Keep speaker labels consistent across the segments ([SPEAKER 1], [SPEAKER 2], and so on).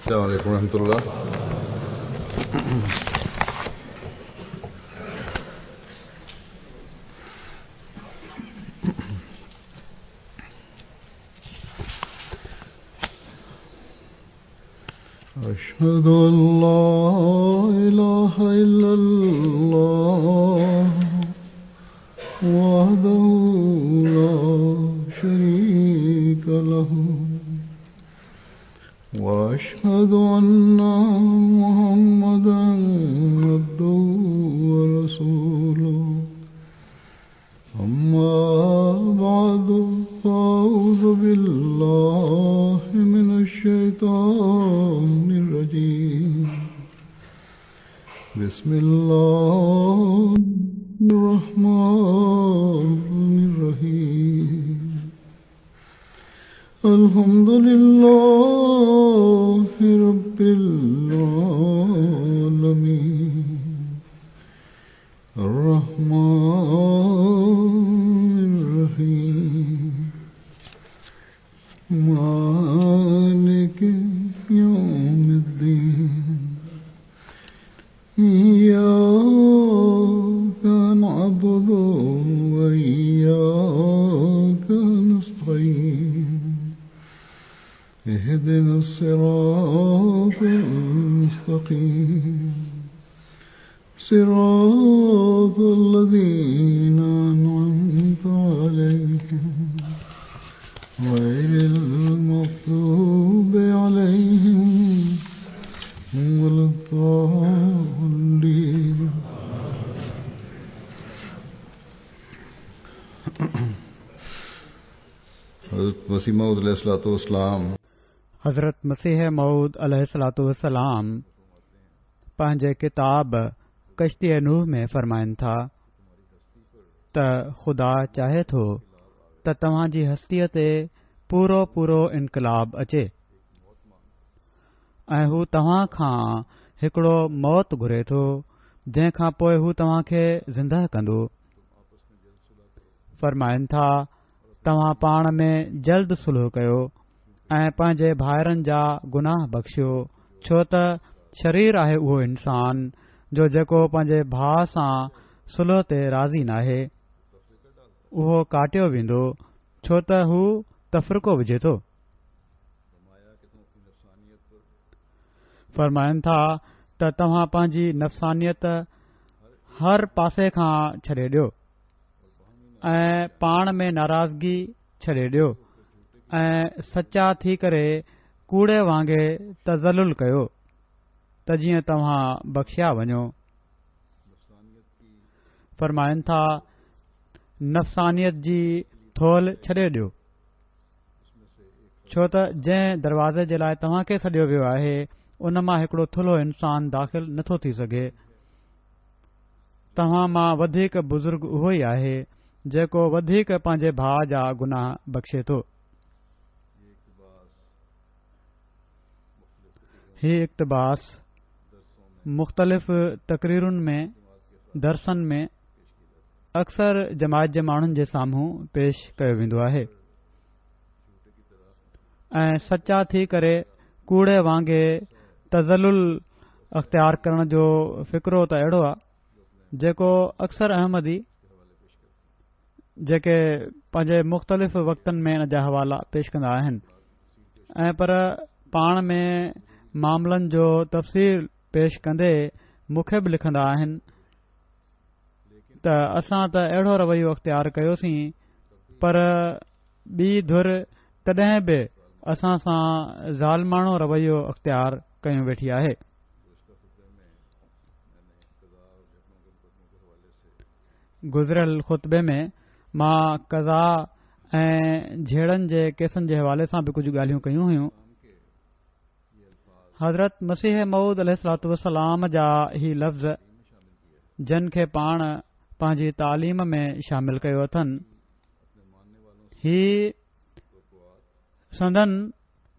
[SPEAKER 1] السلام عليڪم ورحمة الله. أشهد أن لا إله إلا الله وحده لا شريك له وأشهد أن محمدا عبده ورسوله أما بعد فأعوذ بالله من الشيطان الرجيم بسم الله الرحمن الرحيم الحمد لله رب العالمين الرحمن الرحيم مالك يوم الدين إياك نعبد وإياك نستعين اهدنا الصراط المستقيم صراط الذين أنعمت عليهم غير المغضوب عليهم ولا الضالين. حضرت مسيح موعود عليه الصلوة والسلام
[SPEAKER 2] حضرت مسيح موعود عليه الصلوة والسلام پنهنجي ڪتاب ڪشتي نوح ۾ فرمائن ٿا ته خدا چاهي ٿو ته توهان جي هستيء تي پورو پورو انقلاب اچي ۽ هو توهان کان هڪڙو موت گهري ٿو جنهن کان پوء هو توهان کي زندهه ڪندو. فرمائن ٿا توهان پاڻ ۾ جلد صلح ڪيو ۽ پنهنجي ڀائرن جا گناهه بخشيو، ڇو ته شرير آهي اهو انسان جو جيڪو پنهنجي ڀاء سان صلح تي راضي ناهي، اهو ڪاٽيو ويندو، ڇو ته هو تفرقو وجهي ٿو. فرمائن ٿا ته توهان پنهنجي نفسانيت هر پاسي کان ڇڏي ڏيو. ۽ پاڻ ۾ ناراضگي ڇڏي ڏيو ۽ سچا ٿي ڪري ڪوڙي وانگي تذلل ڪيو ته جيئن توهان بخشيا وڃو. فرمائن ٿا، نفسانيت جي ٿولهه ڇڏي ڏيو، ڇو ته جنهن دروازي جي لاء توهان کي سڏيو ويو آهي، ان مان هڪڙو ٿلهو انسان داخل نٿو ٿي سگهي. توهان مان وڌيڪ بزرگ اهو ئي آهي، جيڪو وڌيڪ پنهنجي ڀاء جا گناهه بخشي ٿو. هي اقتباس مختلف تقريرن ۾ درسن ۾ اڪثر جماعت جي ماڻهن جي سامهون پيش ڪيو ويندو آهي ۽ سچا ٿي ڪري ڪوڙي وانگي تذلل اختيار ڪرڻ جو فقرو ته اهڙو آهي جيڪو اڪثر احمدي جيڪي پنهنجي مختلف وقتن ۾ ان جا حوالا پيش ڪندا آهن ۽ پر پاڻ ۾ معاملن جو تفصيل پيش ڪندي مون کي به لکندا آهن ته اسان ته اهڙو رويو اختيار ڪيوسين پر ٻي ڌر تڏهن به اسان سان ظالماڻو رويو اختيار ڪيون ويٺي آهي. گذريل خطبي ۾ مان قضا ۽ جهيڙن جي ڪيسن جي حوالي سان به ڪجهه ڳالهيون ڪيون هيون. حضرت مسيح موعود عليه الصلوة والسلام جا هي لفظ جن کي پاڻ پنهنجي تعليم ۾ شامل ڪيو اٿن هي سندن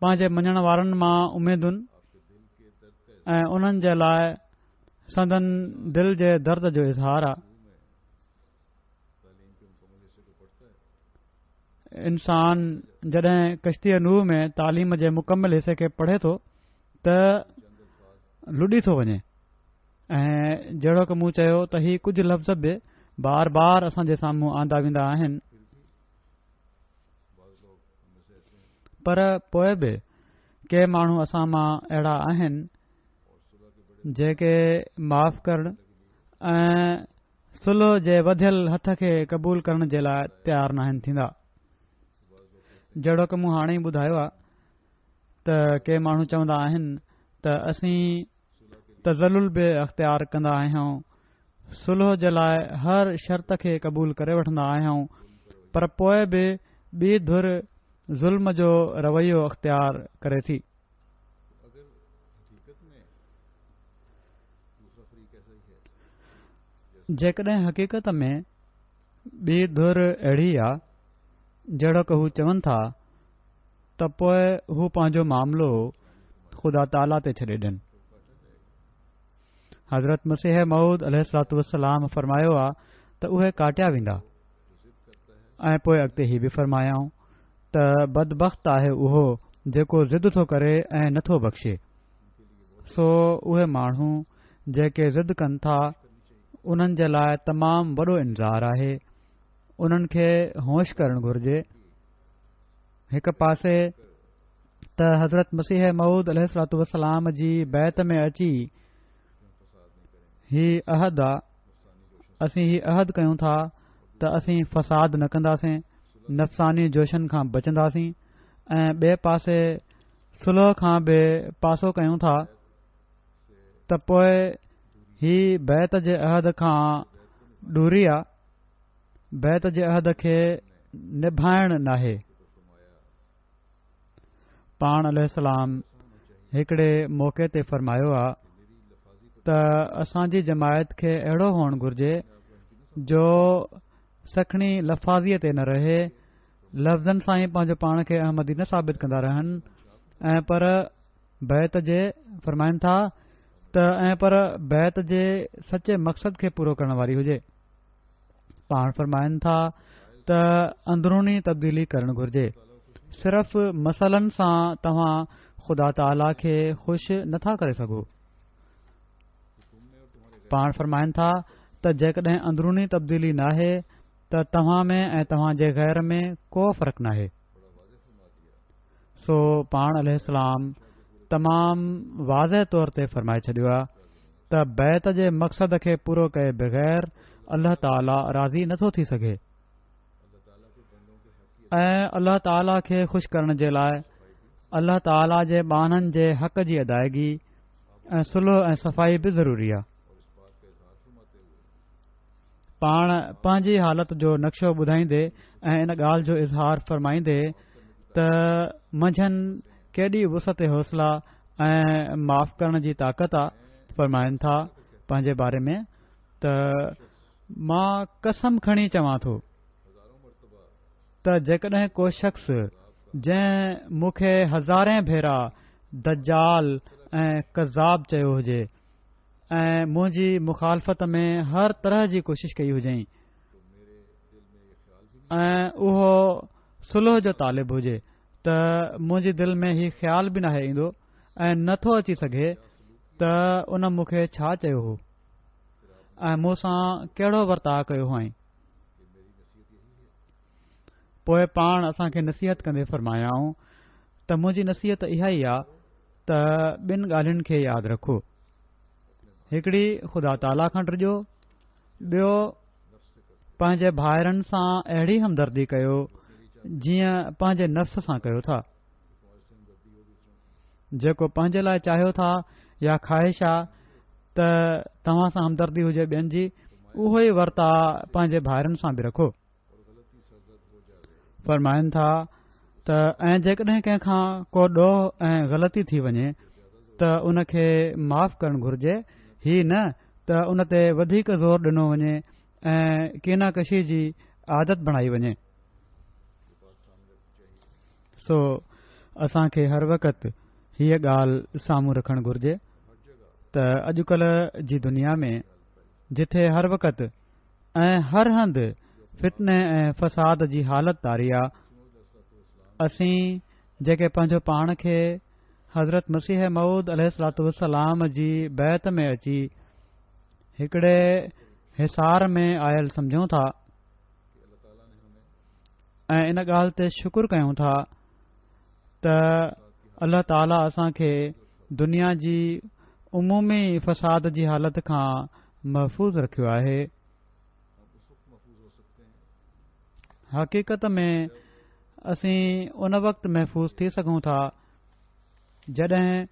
[SPEAKER 2] پنهنجي مڃڻ وارن مان اميدن ۽ انهن جي لاء سندن دل جي درد جو اظهار آ انسان جڏهن ڪشتي نوح ۾ تعليم جي مڪمل حصي کي پڙهي ٿو ته ته لڏي ٿو وڃي ۽ جهڙوڪ مون چيو ته هي ڪجهه لفظ به بار بار اسان جي سامهون آندا ويندا آهن پر پوء به ڪي ماڻهو اسان مان اهڙا آهن جيڪي معاف ڪرڻ ۽ صلح جي وڌيل هٿ کي قبول ڪرڻ جي لاء تيار ناهن ٿيندا. جهڙوڪ مون هاڻي ئي ٻڌايو آهي ته ڪي ماڻهو چوندا آهن ته اسين تذلل به اختيار ڪندا آهيون، صلح جي لاء هر شرط کي قبول ڪري وٺندا آهيون پر پوء به ٻي ڌر ظلم جو رويو اختيار ڪري ٿي. جيڪڏهن حقيقت ۾ ٻي ڌر اهڙي آ جهڙوڪ هو چون ٿا ته پوء هو پنهنجو معاملو خدا تعاليٰ تي ڇڏي ڏين. حضرت مسيح موعود عليه الصلوة والسلام فرمايو آ ته اهي ڪاٽيا ويندا ۽ پوء اڳتي هي به فرمايائون ته بدبخت آهي اهو جيڪو ضد ٿو ڪري ۽ نٿو بخشي. سو اهي ماڻهو جيڪي ضد ڪن ٿا انهن جي لاء تمام وڏو انذار آهي انهن کي هوش ڪرڻ گهرجي هڪ پاسي ته حضرت مسيح موعود عليه الصلوة والسلام جي بيعت ۾ اچي هي عهد آ اسين هي عهد ڪيون ٿا ته اسين فساد نه ڪنداسين نفساني جوشن کان بچنداسين ۽ ٻئي پاسي صلح کان به پاسو ڪيون ٿا ته پوء هي بيعت جي عهد کان دوري آ بيعت جي عهد کي نڀائڻ ناهي پاڻ عليه السلام هڪڙي موقعي تي فرمايو آ ته اسان جي جماعت کي اهڙو هئڻ گهرجي جو سکڻي لفاظيء تي نه رهي لفظن سان ئي پنهنجو پاڻ کي احمدي نه ثابت ڪندا رهن ۽ پر بيعت جي فرمائن ٿا ته ۽ پر بيعت جي سچي مقصد کي پورو ڪرڻ واري هجي پاڻ فرمائن ٿا ته اندروني تبديلي ڪرڻ گهرجي صرف مسئلن سان توهان خدا تعاليٰ کي خوش نٿا ڪري سگهو پاڻ فرمائن ٿا ته جيڪڏهن اندروني تبديلي ناهي ته توهان ۾ ۽ توهان جي غير ۾ ڪو فرق ناهي. سو پاڻ عليه السلام تمام واضح طور تي فرمائي ڇڏيو آهي ته بيعت جي مقصد کي پورو ڪئي بغير الله تعاليٰ راضي نٿو ٿي سگهي ۽ الله تعاليٰ کي خوش ڪرڻ جي لاء الله تعاليٰ جي ٻانهن جي حق جي ادائگي ۽ صلح ۽ صفائي به ضروري آهي. پاڻ پنهنجي حالت جو نقشو ٻڌائيندي ۽ ان ڳالهه جو اظهار فرمائيندي ته منجهن ڪيڏي وسعت حوصله ۽ معاف ڪرڻ جي طاقت آ فرمائن ٿا پنهنجي باري ۾ ته مان قسم کڻي چوان ٿو ته جيڪڏهن ڪو شخص جنهن مون کي هزارين ڀيرا دجال ۽ ڪذاب چيو هجي ۽ منهنجي مخالفت ۾ هر طرح جي ڪوشش ڪئي هجئين ۽ اهو صلح جو طالب هجي ته منهنجي دل ۾ هي خيال به ناهي ايندو ۽ نه ٿو اچي سگهي ته ان مون کي ڇا چيو هو ۽ مون سان ڪهڙو ورتاء ڪيو هئائين پوء پاڻ اسان کي نصيحت ڪندي فرمايائون ته منهنجي نصيحت اها ئي آ ته ٻن ڳالهين کي ياد رکو هڪڙي خدا تعاليٰ کان ڊڄو ٻيو پنهنجي ڀائرن سان اهڙي همدردي ڪيو جيئن پنهنجي نفس سان ڪيو ٿا جيڪو پنهنجي لاء چاهيو ٿا يا خواهش آ ته توهان سان همدردي هجي ٻين جي اهو ئي ورتاء پنهنجي ڀائرن سان به رکو فرمائن ٿا ته ۽ جيڪڏهن ڪنهن کان ڪو ڏوهه ۽ غلطي ٿي وڃي ته ان کي معاف ڪرڻ گهرجي هي نه ته ان تي وڌيڪ زور ڏنو وڃي ۽ ڪينه ڪشي جي عادت بڻائي وڃي سو اسان کي هر وقت هيء ڳالهه سامهون رکڻ گهرجي ته اڄڪلهه جي دنيا ۾ جتي هر وقت ۽ هر هنڌ فتني ۽ فساد جي حالت طاري آ. اسين جيڪي پنهنجو پاڻ کي حضرت مسيح موعود عليه الصلوة والسلام جي بيعت ۾ اچي هڪڙي حصار ۾ آيل سمجهون ٿا ۽ ان ڳالهه تي شڪر ڪيون ٿا ته الله تعاليٰ اسان کي دنيا جي عمومي فساد جي حالت کان محفوظ رکيو آهي. حقيقت ۾ اسين ان وقت محفوظ ٿي سگهون ٿا جڏهن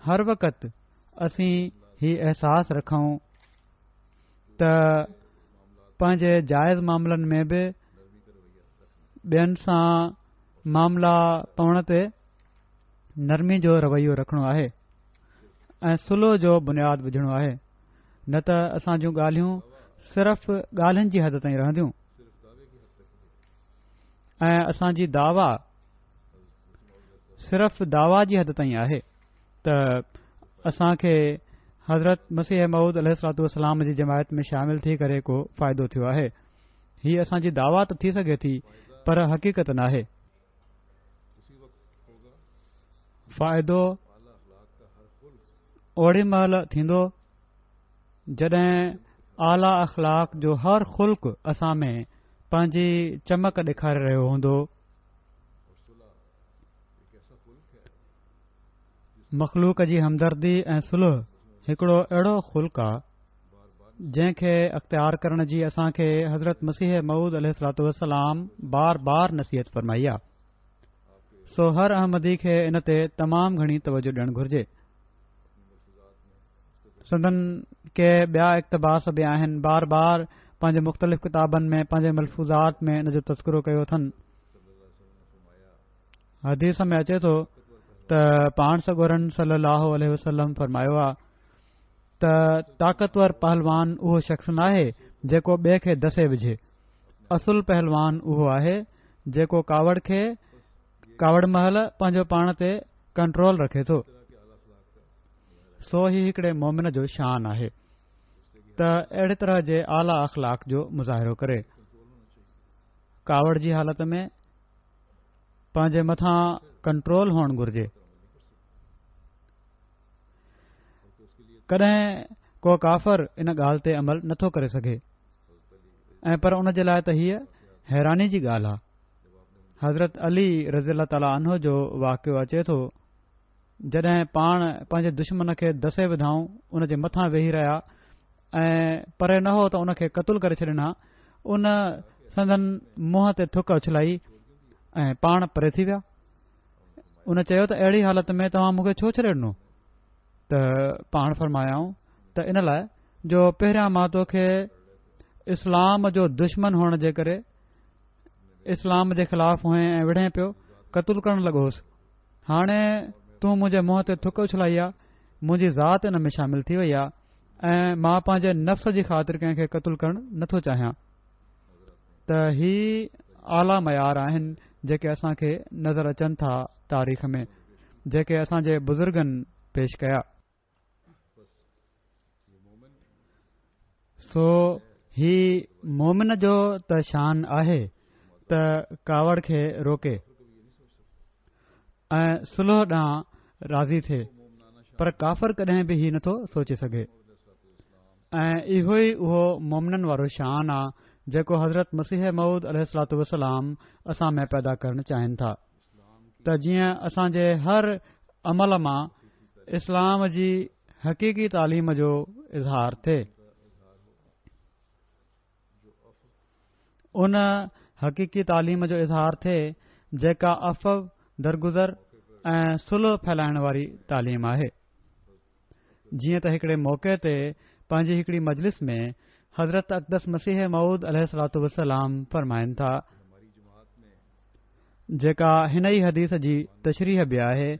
[SPEAKER 2] هر وقت اسين هي احساس رکون ته پنهنجي جائز معاملن ۾ به ٻين سان معاملا پوڻ تي نرمي جو رويو رکڻو آهي ۽ صلح جو بنياد وجهڻو آهي نه ته اسان جون ڳالهيون صرف ڳالهين جي حد تائين رهنديون ۽ اسان جي دعويٰ صرف دعويٰ جي حد تائين آهي ته اسان کي حضرت مسيح موعود عليه الصلوة والسلام جي جماعت ۾ شامل ٿي ڪري ڪو فائدو ٿيو آهي. هي اسان جي دعويٰ ته ٿي سگهي ٿي پر حقيقت ناهي. فائدو اوڏي مهل ٿيندو جڏهن اعليٰ اخلاق جو هر خلق اسان ۾ پنهنجي چمڪ ڏيکاري رهيو هوندو. مخلوق جي همدردي ۽ صلح هڪڙو اهڙو خلق آ جنهن کي اختيار ڪرڻ جي اسان کي حضرت مسيح موعود عليه الصلوة والسلام بار بار نصيحت فرمائي آ سو هر احمدي کي ان تي تمام گهڻي توجه ڏيڻ گهرجي سندن ڪي ٻيا اقتباس به آهن بار بار پنهنجي مختلف ڪتابن ۾ پنهنجي ملفوظات ۾ ان جو تذڪرو ڪيو اٿن حديث ۾ اچي ٿو ته پاڻ سڳورن صلي الله عليه وسلم فرمايو آ ته طاقتور پهلوان اهو شخص ناهي جيڪو ٻئي کي دسي وجهي اصل پهلوان اهو آهي جيڪو ڪاوڙ کي ڪاوڙ مهل پنهنجو پاڻ تي ڪنٽرول رکي ٿو سو هي هڪڙي مومن جو شان آهي ته اهڙي طرح جي اعليٰ اخلاق جو مظاهرو ڪري ڪاوڙ جي حالت ۾ پنهنجي مٿان ڪنٽرول هئڻ گهرجي. ڪڏهن ڪو ڪافر ان ڳالهه تي عمل نٿو ڪري سگهي ۽ پر ان جي لاء ته هيء حيراني جي ڳالهه آهي. حضرت علي رضي الله تعاليٰ عنه جو واقعو اچي ٿو جڏهن پاڻ پنهنجي دشمن کي دسي وڌائون ان جي مٿان ويهي رهيا ۽ پري نه هو ته ان کي قتل ڪري ڇڏين ها ان سندن منهن تي ٿڪ اڇلائي ۽ پاڻ پري ٿي ويا ان چيو ته اهڙي حالت ۾ توهان مون کي ڇو ڇڏي ڏنو ته پاڻ فرمايائون ته ان لاء جو پهريان مان توکي اسلام جو دشمن هئڻ جي ڪري اسلام جي خلاف هئين ۽ وڙهين پيو قتل ڪرڻ لڳو هوس هاڻي تون منهنجي منهن تي ٿڪ اڇلائي آ، منهنجي ذات ان ۾ شامل ٿي وئي آ ۽ مان پنهنجي نفس جي خاطر ڪنهن کي قتل ڪرڻ نٿو چاهيان ته هي اعليٰ معيار آهن جيڪي اسان کي نظر اچن ٿا تاريخ ۾ جيڪي اسان جي بزرگن پيش ڪيا. سو هي مومن جو ته شان آهي ته ڪاوڙ کي روڪي ۽ صلح ڏانهن راضي ٿئي پر ڪافر ڪڏهن به هي نٿو سوچي سگهي ۽ اهو ئي اهو مومنن وارو شان آ جيڪو حضرت مسيح موعود عليه الصلوة والسلام اسان ۾ پيدا ڪرڻ چاهين ٿا ته جيئن اسان جي هر عمل مان اسلام جي حقيقي تعليم جو اظهار ٿئي. ان حقيقي تعليم جو اظهار ٿئي جيڪا عفو، درگذر ۽ صلح ڦهلائڻ واري تعليم آهي. جيئن ته هڪڙي موقعي تي پنهنجي هڪڙي مجلس ۾ حضرت اقدس مسيح موعود عليه الصلوة والسلام فرمائن ٿا، جيڪا هن ئي حديث جي تشريح به آهي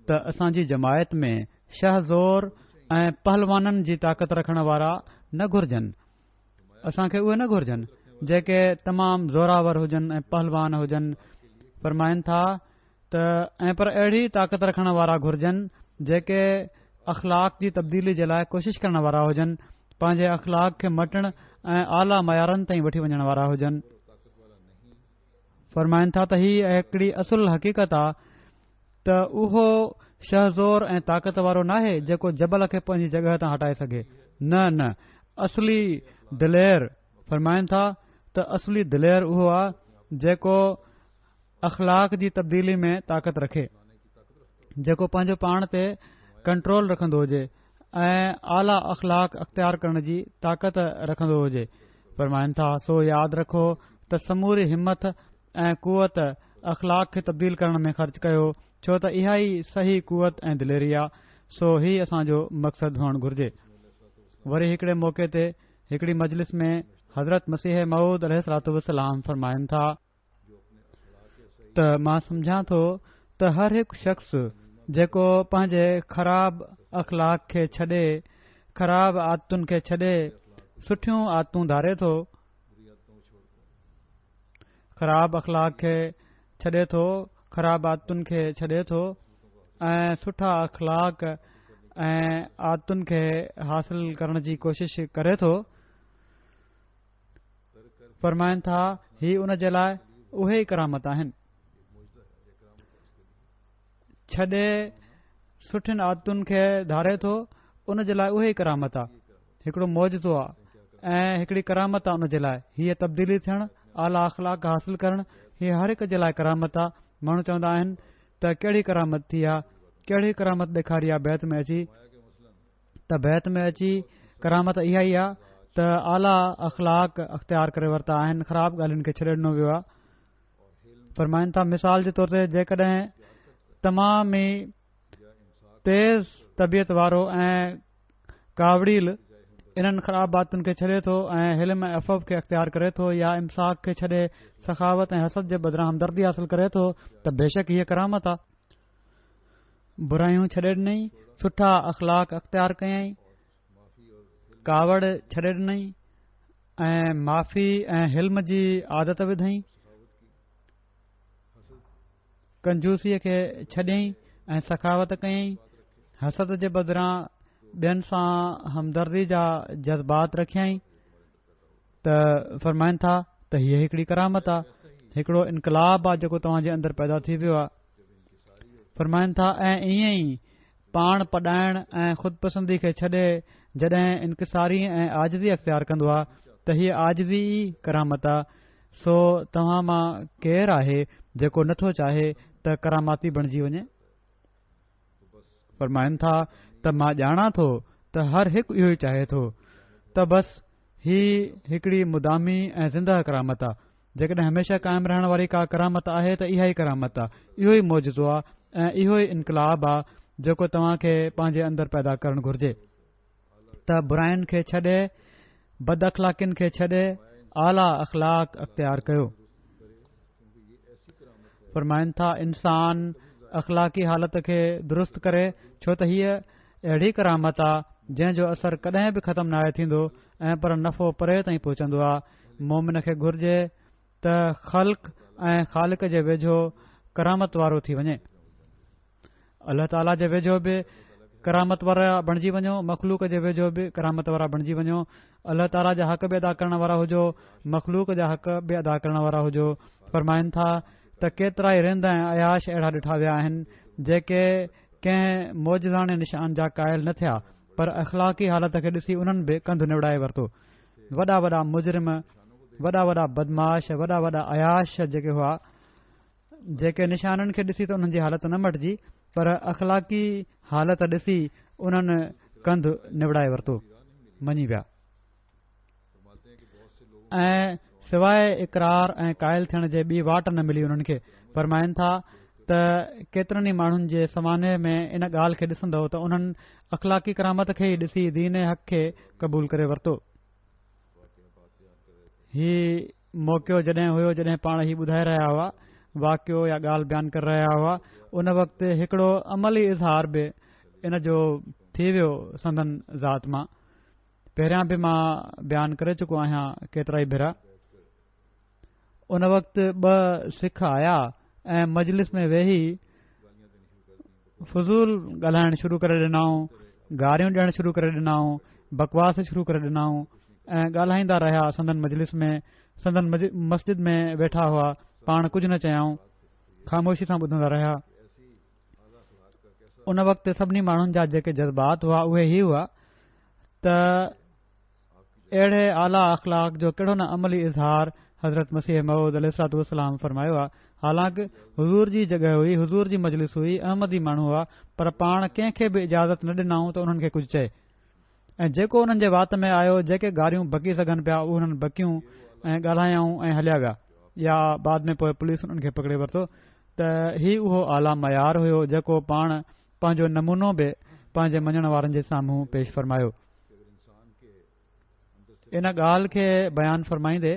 [SPEAKER 2] ته اسان جي جماعت ۾ شه زور ۽ پهلوانن جي طاقت رکڻ وارا نه گهرجن اسان کي اهي نه گهرجن جيڪي تمام زوراور هجن ۽ پهلوان هجن فرمائن ٿا ته ۽ پر اهڙي طاقت رکڻ وارا گهرجن جيڪي اخلاق جي تبديلي جي لاء ڪوشش ڪرڻ وارا هجن پنهنجي اخلاق کي مٽڻ ۽ اعليٰ معيارن تائين وٺي وڃڻ وارا هجن فرمائن ٿا ته هي هڪڙي اصل حقيقت آ ته اهو شهزور ۽ طاقت وارو ناهي جيڪو جبل کي پنهنجي جڳهه تان هٽائي سگهي. نه نه اصلي دلير فرمائن ٿا ته اصلي دلير اهو آ جيڪو اخلاق جي تبديلي ۾ طاقت رکي، جيڪو پنهنجو پاڻ تي ڪنٽرول رکندو هجي ۽ اعليٰ اخلاق اختيار ڪرڻ جي طاقت رکندو هجي. فرمائن ٿا سو ياد رکو ته سموري همٿ ۽ قوت اخلاق کي تبديل ڪرڻ ۾ خرچ ڪيو ڇو ته اها ئي صحيح قوت ۽ دليري آ سو هي اسان جو مقصد هئڻ گهرجي. وري هڪڙي موقعي تي هڪڙي مجلس ۾ حضرت مسيح موعود عليه الصلوة والسلام فرمائن ٿا ته مان سمجهان ٿو ته هر هڪ شخص جيڪو پنهنجي خراب اخلاق کي ڇڏي خراب عادتن کي ڇڏي سٺيون عادتون ڌاري ٿو خراب اخلاق کي ڇڏي ٿو خراب عادتن کي ڇڏي ٿو ۽ سٺا اخلاق ۽ عادتن کي حاصل ڪرڻ جي ڪوشش ڪري ٿو فرمائن ٿا هي ان جي لاء اهي ئي ڪرامت آهن ڇڏي سٺين عادتن کي ڌاري ٿو ان جي لاء اهي ئي ڪرامت آ هڪڙو معجزو آ ۽ هڪڙي ڪرامت آ ان جي لاء هيء تبديلي ٿيڻ اعليٰ اخلاق حاصل ڪرڻ هي هر هڪ جي لاء ڪرامت آ ماڻهو چوندا آهن ته ڪهڙي ڪرامت ٿي آ ڪهڙي ڪرامت ڏيکاري آ بيعت ۾ اچي ته بيعت ۾ اچي ڪرامت اها ئي آ ته اعليٰ اخلاق اختيار ڪري ورتا آهن خراب ڳالهين کي ڇڏي ڏنو ويو آ فرمائن ٿا مثال جي طور تي جيڪڏهن تمام ئي تيز طبيعت وارو ۽ ڪاوڙيل انهن خراب عادتن کي ڇڏي ٿو ۽ حلم ۽ عفو کي اختيار ڪري ٿو يا امساڪ کي ڇڏي سخاوت ۽ حسد جي بدران همدردي حاصل ڪري ٿو ته بيشڪ هيء ڪرامت آ. برايون ڇڏي ڏنئي، سٺا اخلاق اختيار ڪيائين، ڪاوڙ ڇڏي ڏنئي ۽ معافي ۽ حلم جي عادت وڌائين. ڪنجوسيء کي ڇڏيائين ۽ سخاوت ڪيائين، حسد جي بدران ٻين سان همدردي جا جذبات رکيائين ته فرمائن ٿا ته هيء هڪڙي ڪرامت آ، هڪڙو انقلاب آ جيڪو توهان جي اندر پيدا ٿي ويو آ. فرمائن ٿا ۽ ائين ئي پاڻ پڏائڻ ۽ خود پسندي کي ڇڏي جڏهن انڪساري ۽ عاجزي اختيار ڪندو آ ته هيء عاجزي ئي ڪرامت آ سو توهان مان ڪير آهي جيڪو نه ٿو چاهي ته ڪراماتي بڻجي وڃي؟ فرمائن ٿا ته مان ڄاڻان ٿو ته هر هڪ اهو ئي چاهي ٿو ته بس هي هڪڙي مدامي ۽ زندهه ڪرامت آ جيڪڏهن هميشه قائم رهڻ واري ڪا ڪرامت آهي ته اها ئي ڪرامت آ اهو ئي معجزو آ ۽ اهو ئي انقلاب آ جيڪو توهان کي پنهنجي اندر پيدا ڪرڻ گهرجي. ته براين کي ڇڏي بد اخلاقين کي ڇڏي اعليٰ اخلاق اختيار ڪيو. فرمائن ٿا انسان اخلاقي حالت کي درست ڪري ڇو ته هيء اهڙي ڪرامت آ جنهن جو اثر ڪڏهن به ختم ناهي ٿيندو ۽ پر نفعو پري تائين پهچندو آ مومن کي گهرجي ته خلق ۽ خالق جي ويجهو ڪرامت وارو ٿي وڃي. الله تعاليٰ جي ويجهو به ڪرامت وارا بڻجي وڃو مخلوق جي ويجهو به ڪرامت وارا بڻجي وڃو الله تعاليٰ جا حق به ادا ڪرڻ وارا هجو مخلوق جا حق به ادا ڪرڻ وارا هجو فرمائن ٿا ته ڪيترا ئي رند ۽ عياش اهڙا ڏٺا ويا آهن جيڪي ڪنهن معجزاڻي نشان جا قائل نه ٿيا پر اخلاقي حالت کي ڏسي انهن به ڪنڌ نوڙائي ورتو وڏا وڏا مجرم وڏا وڏا بدمعاش وڏا وڏا عياش جيڪي هئا جيڪي نشانن کي ڏسي ته انهن جي حالت نه مٽجي پر اخلاقي حالت ڏسي انهن ڪنڌ نوڙائي ورتو مڃي ويا ۽ سواء اقرار ۽ قائل ٿيڻ جي ٻي واٽ نه ملي انهن کي فرمائن ٿا ته ڪيترن ئي ماڻهن جي سوانح ۾ ان ڳالهه کي ڏسندؤ ته انهن اخلاقي ڪرامت کي ئي ڏسي دين حق کي قبول ڪري ورتو هي موقعو جڏهن هيو جڏهن پاڻ هي ٻڌائي رهيا هئا واقعو يا ڳالهه بيان ڪري رهيا هئا ان وقت هڪڙو عملي اظهار به ان جو ٿي ويو سندن ذات مان پهريان به مان بيان ڪري چڪو آهيان ڪيترا ئي ڀيرا ان وقت ٻه سک آيا ۽ مجلس ۾ ويهي فضول ڳالهائڻ شروع ڪري ڏنائون گاريون ڏيڻ شروع ڪري ڏنائون بڪواس شروع ڪري ڏنائون ۽ ڳالهائيندا رهيا سندن مجلس ۾ سندن مسجد ۾ ويٺا هئا پاڻ ڪجهه نه چيائون خاموشي سان ٻڌندا رهيا. ان وقت سڀني ماڻهن جا جيڪي جذبات هئا اهي هي هئا ته اهڙي اعليٰ اخلاق جو ڪهڙو نه عملي اظهار حضرت مسيح موعود عليه الصلوة والسلام فرمايو آهي. حالانڪ حضور جي جڳهه هئي، حضور جي مجلس هئي، احمدي ماڻهو هئا، پر پاڻ ڪنهن کي به اجازت نه ڏنائون ته انهن کي ڪجهه چئي. ۽ جيڪو انهن جي وات ۾ آيو، جيڪي گاريون بڪي سگهن پيا، اهي انهن بڪيون ۽ ڳالهايائون ۽ هليا ويا يا بعد ۾ پوء پوليس انهن کي پڪڙي ورتو ته هي اهو اعليٰ معيار هيو جيڪو پاڻ پنهنجو نمونو به پنهنجي مڃڻ وارن جي سامهون پيش فرمايو. ان ڳالهه کي بيان فرمائيندي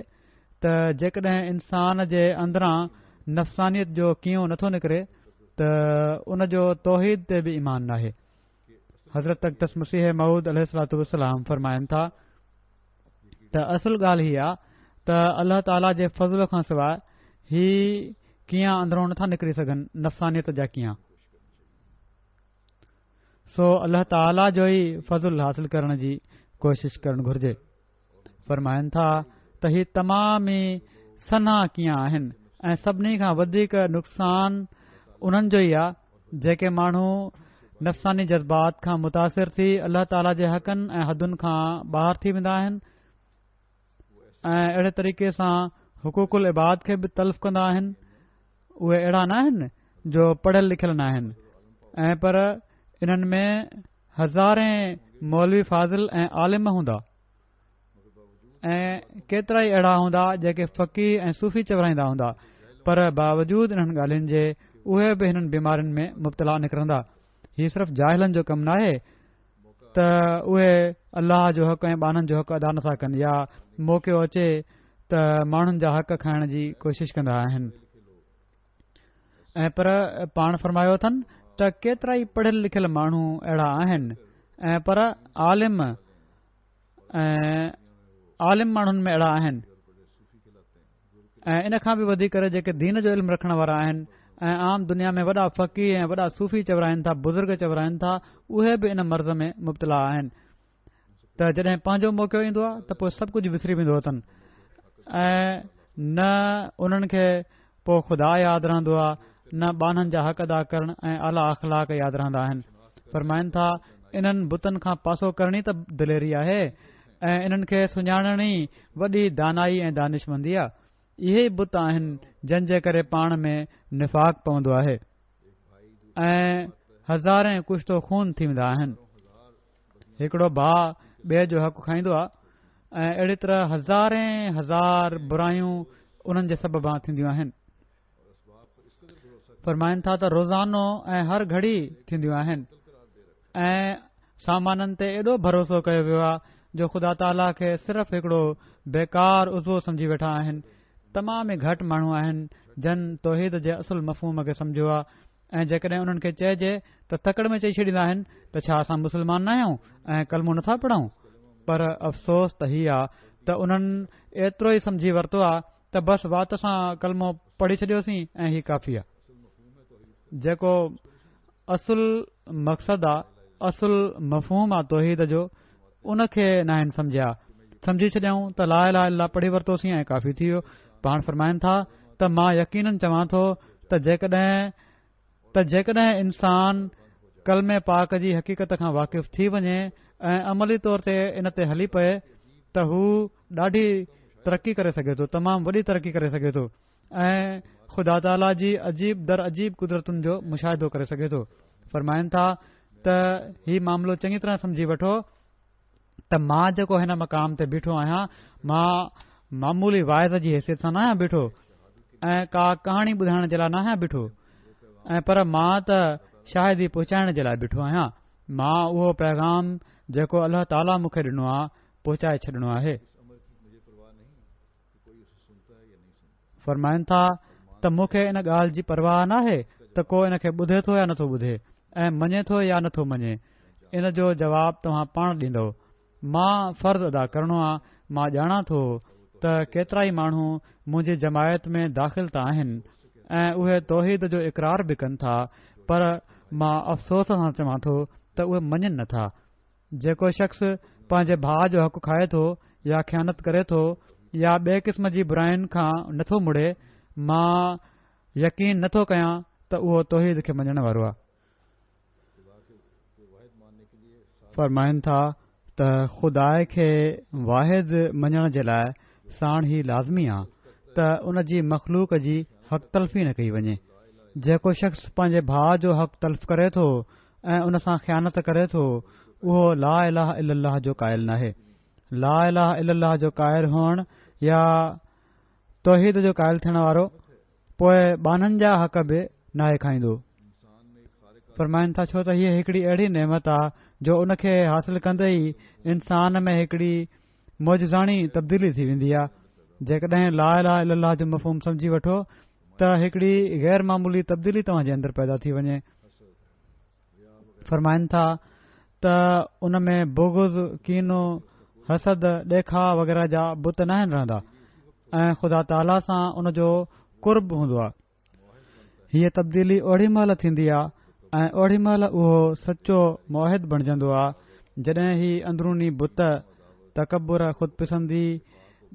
[SPEAKER 2] ته جيڪڏهن انسان جي اندران نفسانيت جو ڪينئون نٿو نڪري ته ان جو توحيد تي به ايمان ناهي. حضرت اقدس مسيح موعود عليه الصلوة والسلام فرمائن ٿا ته اصل ڳالهه هي آ ته الله تعاليٰ جي فضل کان سواء هي ڪينئان اندرون نٿا نڪري سگهن نفسانيت جا ڪينئان سو الله تعاليٰ جو ئي فضل حاصل ڪرڻ جي ڪوشش ڪرڻ گهرجي فرمائن ٿا ته هي تمام ئي سنها ڪينئان آهن ۽ سڀني کان وڌيڪ نقصان انهن جو ئي آهي جيڪي ماڻهو نفساني جذبات کان متاثر ٿي الله تعاليٰ جي حقن ۽ حدن کان ٻاهر ٿي ويندا آهن ۽ اهڙي طريقي سان حقوق العباد کي به تلف ڪندا آهن اهي اهڙا نه آهن جو پڙهيل لکيل نه آهن ۽ پر انهن ۾ هزارين مولوي فاضل ۽ عالم هوندا ۽ ڪيترائي اهڙا هوندا جيڪي فقيه ۽ صوفي چورائيندا هوندا پر باوجود انهن ڳالهين جي اهي به هنن بيمارين ۾ مبتلا نڪرندا هي صرف جاهلن جو ڪم ناهي ته اهي الله جو حق ۽ ٻانهن جو حق ادا نٿا ڪن يا موقعو اچي ته ماڻهن جا حق کائڻ جي ڪوشش ڪندا آهن ۽ پر پاڻ فرمايو اٿن ته ڪيترائي پڙهيل لکيل ماڻهو اهڙا آهن ۽ پر عالم ۽ عالم ماڻهن ۾ اهڙا آهن ۽ ان کان به وڌي ڪري جيڪي دين جو علم رکڻ وارا آهن ۽ عام دنيا ۾ وڏا فقيه ۽ وڏا صوفي چورائن ٿا بزرگ چورائن ٿا اهي به ان مرض ۾ مبتلا آهن ته جڏهن پنهنجو موقعو ايندو آهي ته پوء سڀ ڪجهه وسري ويندو اٿن ۽ نه انهن کي پوء خدا ياد رهندو آهي نه ٻانهن جا حق ادا ڪرڻ ۽ اعليٰ اخلاق ياد رهندا آهن فرمائن ٿا انهن بتن کان پاسو ڪرڻ ئي ته دليري آهي ۽ انهن کي سڃاڻڻ ئي وڏي دانائي ۽ دانشمندي آهي اهي ئي بت آهن جن جي ڪري پاڻ ۾ نفاق پوندو آهي ۽ هزارين ڪشت و خون ٿي ويندا آهن هڪڙو ڀاء ٻئي جو حق کائيندو آهي ۽ اهڙي طرح هزارين هزار برايون انهن جي سببان ٿينديون آهن فرمائن ٿا ته روزانو ۽ هر گهڙي ٿينديون آهن ۽ سامانن تي ايڏو ڀروسو ڪيو ويو آهي جو خدا تعاليٰ کي صرف هڪڙو بيڪار عضوو سمجهي ويٺا آهن تمام ئي گهٽ ماڻهو آهن جن توحيد جي اصل مفهوم کي سمجهيو آهي ۽ جيڪڏهن انهن کي چئجي ته تڪڙ ۾ چئي ڇڏيندا آهن ته ڇا اسان مسلمان ناهيون ۽ ڪلمو نٿا پڙهون پر افسوس ته هي آ ته انهن ايترو ئي سمجهي ورتو آ ته بس وات سان ڪلمو پڙهي ڇڏيوسين ۽ هي ڪافي آ جيڪو اصل مقصد آ اصل مفهوم آ توحيد جو ان کي ناهن سمجهيا سمجهي ڇڏيائون ته لا اله الا الله پڙهي ورتوسين ۽ ڪافي ٿي ويو پاڻ فرمائن ٿا ته مان يقينن چوان ٿو ته جيڪڏهن ته جيڪڏهن انسان ڪلمي پاڪ جي حقيقت کان واقف ٿي وڃي ۽ عملي طور تي ان تي هلي پئي ته هو ڏاڍي ترقي ڪري سگهي ٿو تمام وڏي ترقي ڪري سگهي ٿو ۽ خدا تعاليٰ جي عجيب در عجيب قدرتن جو مشاهدو ڪري سگهي ٿو فرمائن ٿا ته هي معاملو چڱي طرح سمجهي وٺو ته مان جيڪو هن مقام تي بيٺو آهيان مان معمولي واعظ جي حيثيت سان ناهيان بيٺو ۽ ڪا ڪهاڻي ٻڌائڻ جي لاء ناهيان بيٺو ۽ پر مان ته شاهدي پهچائڻ جي لاء بيٺو آهيان مان اهو پيغام جيڪو الله تعاليٰ مون کي ڏنو آهي پهچائي ڇڏڻو آهي فرمائن ٿا ته مون کي ان ڳالهه جي پرواهه ناهي ته ڪو ان کي ٻڌي ٿو يا نٿو ٻڌي ۽ مڃي ٿو يا نٿو مڃي ان جو جواب توهان پاڻ ڏيندؤ مان فرض ادا ڪرڻو آ مان ڄاڻان ٿو ته ڪيترائي ماڻهو منهنجي جماعت ۾ داخل ته آهن ۽ اهي توحيد جو اقرار به ڪن ٿا پر مان افسوس سان چوان ٿو ته اهي مڃن نٿا جيڪو شخص پنهنجي ڀاء جو حق کائي ٿو يا خيانت ڪري ٿو يا ٻئي قسم جي براين کان نٿو مڙي، مان يقين نٿو ڪيان ته اهو توحيد کي مڃڻ وارو آهي. فرمائن ٿا ته خدا کي واحد مڃڻ جي لاء ساڻ هي لازمي آ ته ان جي مخلوق جي حق تلفي نه ڪئي وڃي. جيڪو شخص پنهنجي ڀاء جو حق تلف ڪري ٿو ۽ ان سان خيانت ڪري ٿو اهو لا اله الا الله جو قائل ناهي. لا اله الا الله جو قائل هئڻ يا توحيد جو قائل ٿيڻ وارو پوء ٻانهن جا حق به ناهي کائيندو. فرمائن ٿا ڇو ته هيء هڪڙي اهڙي نعمت آ جو ان کي حاصل ڪندي ئي انسان ۾ هڪڙي معجزاڻي تبديلي ٿي ويندي آ. جيڪڏهن لا اله الا الله جو مفهوم سمجهي وٺو ته هڪڙي غير معمولي تبديلي توهان جي اندر پيدا ٿي وڃي. فرمائن ٿا ته ان ۾ بغض، ڪينو، حسد، ڏيکاء وغيره جا بت ناهن رهندا ۽ خدا تعاليٰ سان ان جو قرب هوندو آهي. هيء تبديلي اوڙي مهل ٿيندي آهي ۽ اوڙي مهل اهو سچو موحد بڻجندو آهي جڏهن هي اندروني بت، تڪبر، خودپسندي،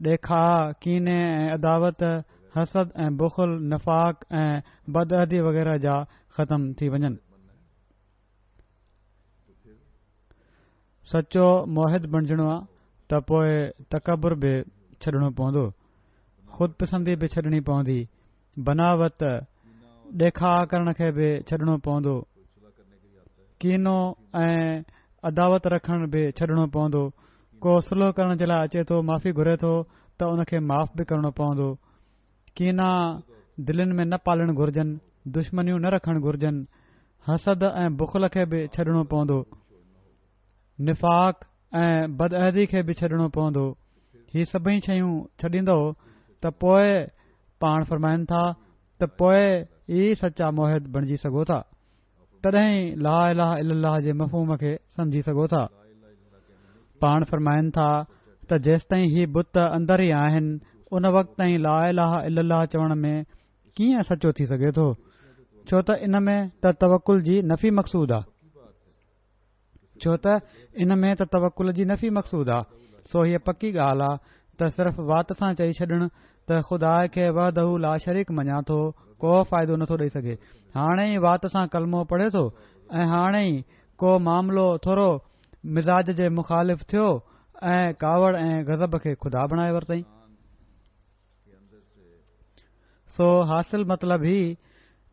[SPEAKER 2] ڏيکاء، ڪيني ۽ عداوت، حسد ۽ بخل، نفاق ۽ بدعهدي وغيره جا ختم ٿي وڃن. سچو موحد بڻجڻو آ ته پوء تڪبر به ڇڏڻو پوندو، خود پسندي به ڇڏڻي پوندي، بناوت، ڏيکاء ڪرڻ کي به ڇڏڻو پوندو، ڪينو ۽ عداوت رکڻ به ڇڏڻو پوندو، ڪو صلح ڪرڻ جي لاء اچي ٿو معافي گهري ٿو ته ان کي معاف به ڪرڻو پوندو. ڪينا دلين ۾ نه پالڻ گهرجن، دشمنيون نه رکڻ گهرجن، حسد ۽ بخل کي به ڇڏڻو پوندو، نفاق ۽ بدعهدي کي به ڇڏڻو پوندو، هي سڀئي شيون ڇڏيندؤ ته پوء پاڻ فرمائن ٿا ته پوء ئي سچا موحد بڻجي سگهو ٿا. تڏهن ئي لا اله الا الله جي مفهوم کي سمجهي سگهو ٿا. پاڻ فرمائن ٿا ته جيستائين هي بت اندر ئي آهن ان وقت تائين لا اله الا الله چوڻ ۾ ڪيئن سچو ٿي سگهي ٿو ڇو ته ان ۾ ته توڪل جي نفي مقصود آ. ڇو ته ان ۾ ته توڪل جي نفي مقصود آ، سو هيء پڪي ڳالهه آ ته صرف وات سان چئي ڇڏڻ ته خدا کي وحده لا شريڪ مڃان ٿو ڪو فائدو نٿو ڏئي سگهي. هاڻي ئي وات سان ڪلمو پڙهي ٿو ۽ هاڻي ئي ڪو معاملو ٿورو مزاج جي مخالف ٿيو ۽ ڪاوڙ ۽ غضب کي خدا بڻائي ورتائين. سو حاصل مطلب هي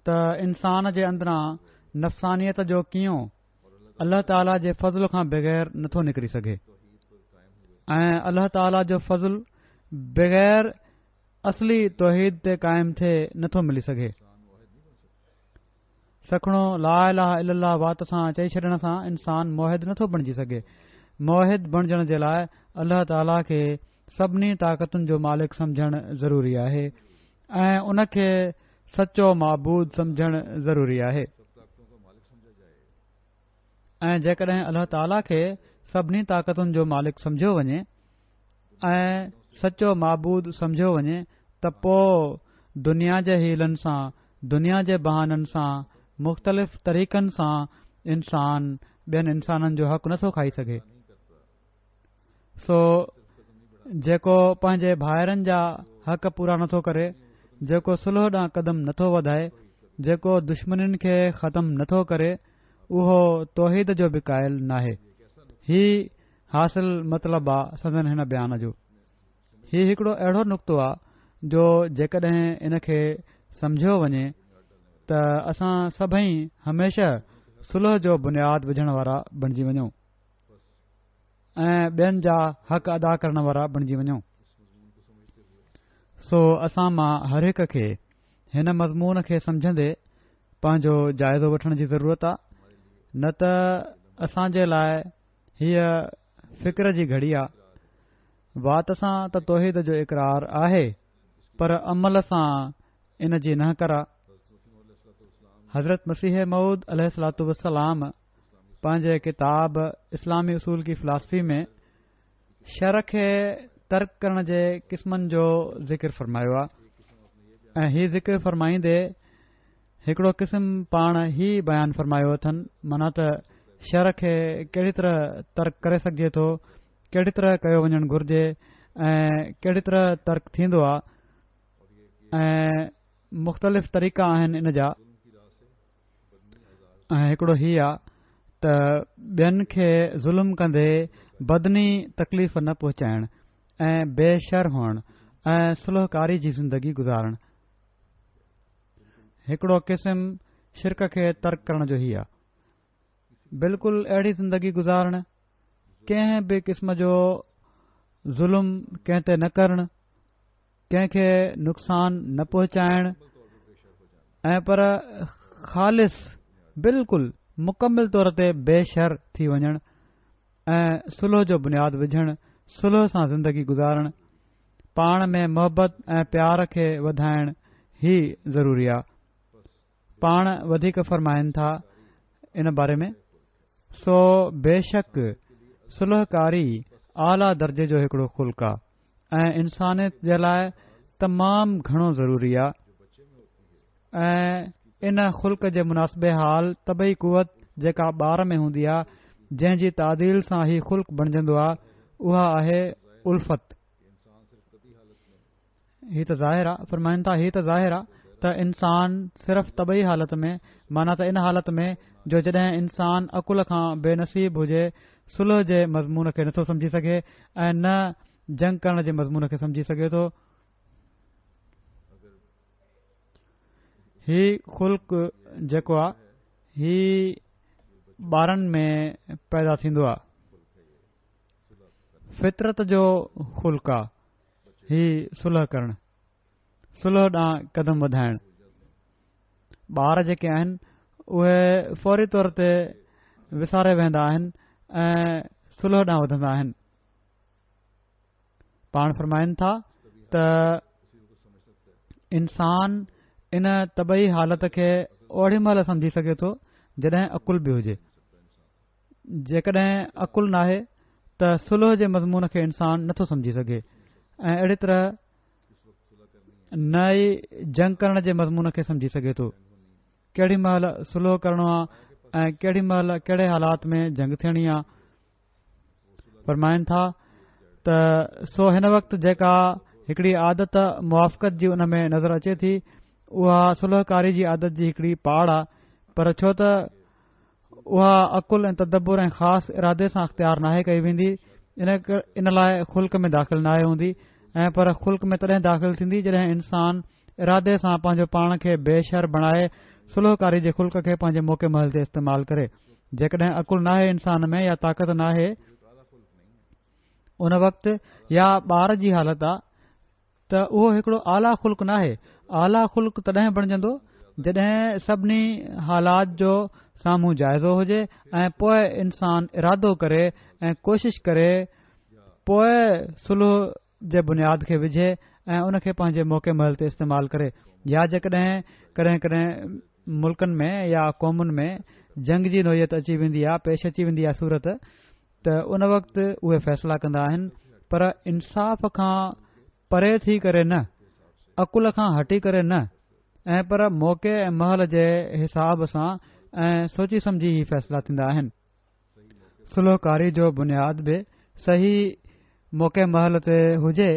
[SPEAKER 2] ته انسان جي اندران نفسانيت جو ڪينئون الله تعاليٰ جي فضل کان بغير نٿو نڪري سگهي ۽ الله تعاليٰ جو فضل بغير اصلي توحيد تي قائم ٿئي نٿو ملي سگهي. سکڻو لا اله الا الله وات سان چئي ڇڏڻ سان انسان موحد نٿو بڻجي سگهي. موحد بڻجڻ جي لاء الله تعاليٰ کي سڀني طاقتن جو مالڪ سمجهڻ ضروري آهي ۽ ان کي سچو معبود سمجهڻ ضروري آهي. ۽ جيڪڏهن الله تعاليٰ کي سڀني طاقتن جو مالڪ سمجهيو وڃي ۽ سچو معبود سمجهيو وڃي ته پوء دنيا جي حيلن سان دنيا جي بهانن سان مختلف طريقن سان انسان ٻين انسانن جو حق نٿو کائي سگهي. سو جيڪو پنهنجي ڀائرن جا حق پورا نٿو ڪري، جيڪو صلح ڏانهن قدم نٿو وڌائي، جيڪو دشمنين کي ختم نٿو ڪري، اهو توحيد جو به قائل ناهي. هي حاصل مطلب آ سندن هن بيان جو. هي هڪڙو اهڙو نڪتو آ جو جيڪڏهن ان کي سمجهيو وڃي ته اسان سڀئي هميشه صلح جو بنياد وجهڻ وارا بڻجي وڃون. ۽ ٻين جا حق ادا ڪرڻ وارا بڻجي وڃون. سو اسان مان هر هڪ کي هن مضمون کي سمجهندي پنهنجو جائزو وٺڻ جي ضرورت آ نه ته اسان جي لاء هيء فڪر جي گهڙي آ. وات سان ته توحيد جو اقرار آهي پر عمل سان ان جي نهڪر آ. حضرت مسيح موعود عليه الصلوة والسلام پنهنجي ڪتاب اسلامي اصول ڪي فلاسفي ۾ شر کي ترڪ ڪرڻ جي قسمن جو ذڪر فرمايو آهي ۽ هي ذڪر فرمائيندي هڪڙو قسم پاڻ هي بيان فرمايو اٿن معنيٰ ته شر کي ڪهڙي طرح ترڪ ڪري سگهجي ٿو ڪهڙي طرح ڪيو وڃڻ گهرجي ۽ ڪهڙي طرح ترڪ ٿيندو آهي ۽ مختلف طريقا آهن ان جا ۽ هڪڙو هي آ ته ٻين کي ظلم ڪندي بدني تڪليف نه پهچائڻ ۽ بي شر هئڻ ۽ صلح ڪاري جي زندگي گذارڻ. هڪڙو قسم شرڪ کي ترڪ ڪرڻ جو هي آ. بلڪل اهڙي زندگي گذارڻ، ڪنهن به قسم جو ظلم ڪنهن تي نه ڪرڻ، ڪنهن کي نقصان نه پهچائڻ ۽ پر خالص بلڪل مڪمل طور تي بي شر ٿي وڃڻ ۽ صلح جو بنياد وجهڻ، صلح سان زندگي گذارڻ، پاڻ ۾ محبت ۽ پيار کي وڌائڻ هي ضروري آ. پاڻ وڌيڪ فرمائن ٿا ان باري ۾، سو بيشڪ صلح ڪاري اعليٰ درجي جو هڪڙو خلق آ ۽ انسانيت جي لاء تمام گهڻو ضروري آ ۽ ان خلق جي مناسب حال طبعي قوت جيڪا ٻار ۾ هوندي آ جنهن جي تعديل سان هي خلق بڻجندو آ اها آهي الفت. هي ته ظاهر آ، فرمائن ٿا، هي ته ظاهر آ ته انسان صرف طبعي حالت ۾، معنيٰ ته ان حالت ۾ جو جڏهن انسان عقل کان بي نصيب هجي، صلح جي مضمون کي نٿو سمجهي سگهي ۽ نه جنگ ڪرڻ جي مضمون کي سمجهي سگهي ٿو. هي خلق جيڪو آ، هي ٻارن ۾ پيدا ٿيندو آ. فطرت جو خلق آ. هي صلح ڪرڻ، صلح ڏانهن قدم وڌائڻ. ٻار جيڪي آهن اهي فوري طور تي وساري ويهندا آهن ۽ صلح ڏانهن وڌندا آهن. پاڻ فرمائن ٿا ته انسان ان طبعي حالت کي اوڏي مهل سمجهي سگهي ٿو جڏهن عقل به هجي. جيڪڏهن عقل ناهي ته صلح جي مضمون کي انسان نٿو سمجهي سگهي ۽ اهڙي طرح نه ئي جنگ ڪرڻ جي مضمون کي سمجهي سگهي ٿو ڪهڙي مهل صلح ڪرڻو آ ۽ ڪهڙي مهل ڪهڙي حالات ۾ جنگ ٿيڻي آ فرمائن ٿا ته سو هن وقت جيڪا هڪڙي عادت موافقت جي ان ۾ نظر اچي ٿي اها صلح ڪاري جي عادت جي هڪڙي پاڙ آ پر ڇو ته اها عقل ۽ تدبر ۽ خاص ارادي سان اختيار ناهي ڪئي ويندي ان لاء خلق ۾ داخل ناهي هوندي ۽ پر خلق ۾ تڏهن داخل ٿيندي جڏهن انسان ارادي سان پنهنجو پاڻ کي بي شر بڻائي صلح ڪاري جي خلق کي پنهنجي موقع محل تي استعمال ڪري جيڪڏهن عقل ناهي انسان ۾ يا طاقت ناهي ان وقت يا ٻار جي حالت آ ته اهو هڪڙو اعليٰ خلق ناهي. اعليٰ خلق تڏهن بڻجندو جڏهن سڀني حالات جو سامهون جائزو هجي ۽ پوء انسان ارادو ڪري ۽ ڪوشش ڪري پوء صلح جي بنياد کي وجهي ۽ ان کي پنهنجي موقع محل تي استعمال ڪري يا جيڪڏهن ڪڏهن ڪڏهن ملڪن ۾ يا قومن ۾ جنگ جي نوعيت اچي ويندي آهي پيش اچي ويندي آهي صورت ته ان وقت اهي فيصلا ڪندا آهن پر انصاف کان پري ٿي ڪري نه، عقل کان هٽي ڪري نه ۽ پر موقعي ۽ مهل جي حساب سان ۽ سوچي سمجهي هي فيصلا ٿيندا آهن. صلح ڪاري جو بنياد به صحيح موقعي مهل تي هجي